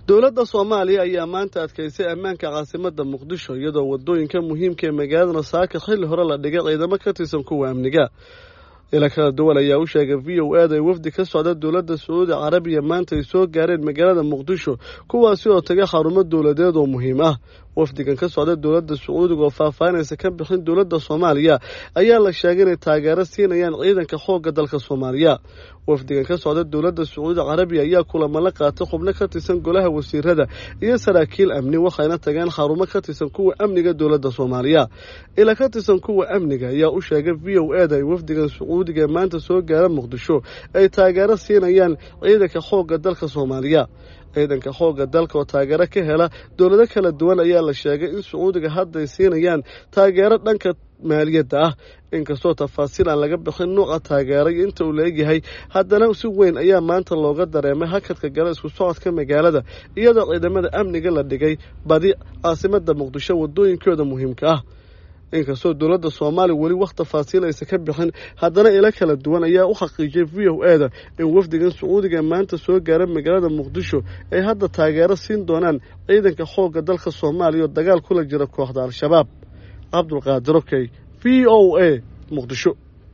Dowladda Soomaaliya ayaa maanta adkeysay ammaanka caasimadda Muqdisho, iyadoo wadooyinka muhiimka ee magaalada Saaka xilli hore la dhigay ciidamo ka tirsan kuwa amniga. Ila kala duwan ayaa u sheegay VOA-da ay wafdi ka socda dowladda Sacuudi Carabiya maanta ay soo gaareen magaalada Muqdisho, kuwaasi oo tagay xarumo dowladeed oo muhiim ah. Wafdigan ka socda dowladda Sacuudiga oo faahfaahinaysa ka bixin dowladda Soomaaliya ayaa la sheegay inay taageero siinayaan ciidanka xoogga dalka Soomaaliya. Wafdigan ka socda dowladda Sacuudi Carabiya ayaa kulamo la qaatay xubno ka tirsan golaha wasiirada iyo saraakiil amni, waxayna tageen xarumo ka tirsan kuwa amniga dowladda Soomaaliya. Ila ka tirsan kuwa amniga ayaa u sheegay VOA-da ay wafdigan Sacuudiga ee maanta soo gaara Muqdisho ay taageero siinayaan ciidanka xoogga dalka Soomaaliya. Ciidanka xoogga dalka oo taageero ka hela dowlado kala duwan ayaa la sheegay in Sacuudiga hadday siinayaan taageero dhanka maaliyadda ah. Inkastoo tafaasiil aan laga bixin nuuca taageero iyo inta uu la-egyahay, haddana si weyn ayaa maanta looga dareemay hakadka gala isku socodka magaalada, iyadoo ciidamada amniga la dhigay badi caasimadda Muqdisho wadooyinkooda muhiimka ah. Inkastoo dowladda Soomaaliya weli wax tafaasiil aysa ka bixin, haddana ilo kala duwan ayaa u xaqiijiyay VOA-da in wafdigan Sacuudiga maanta soo gaara magaalada Muqdisho ay hadda taageero siin doonaan ciidanka xoogga dalka Soomaaliya oo dagaal kula jira kooxda Al-Shabaab. Cabdulqaadir Okey, VOA, Muqdisho.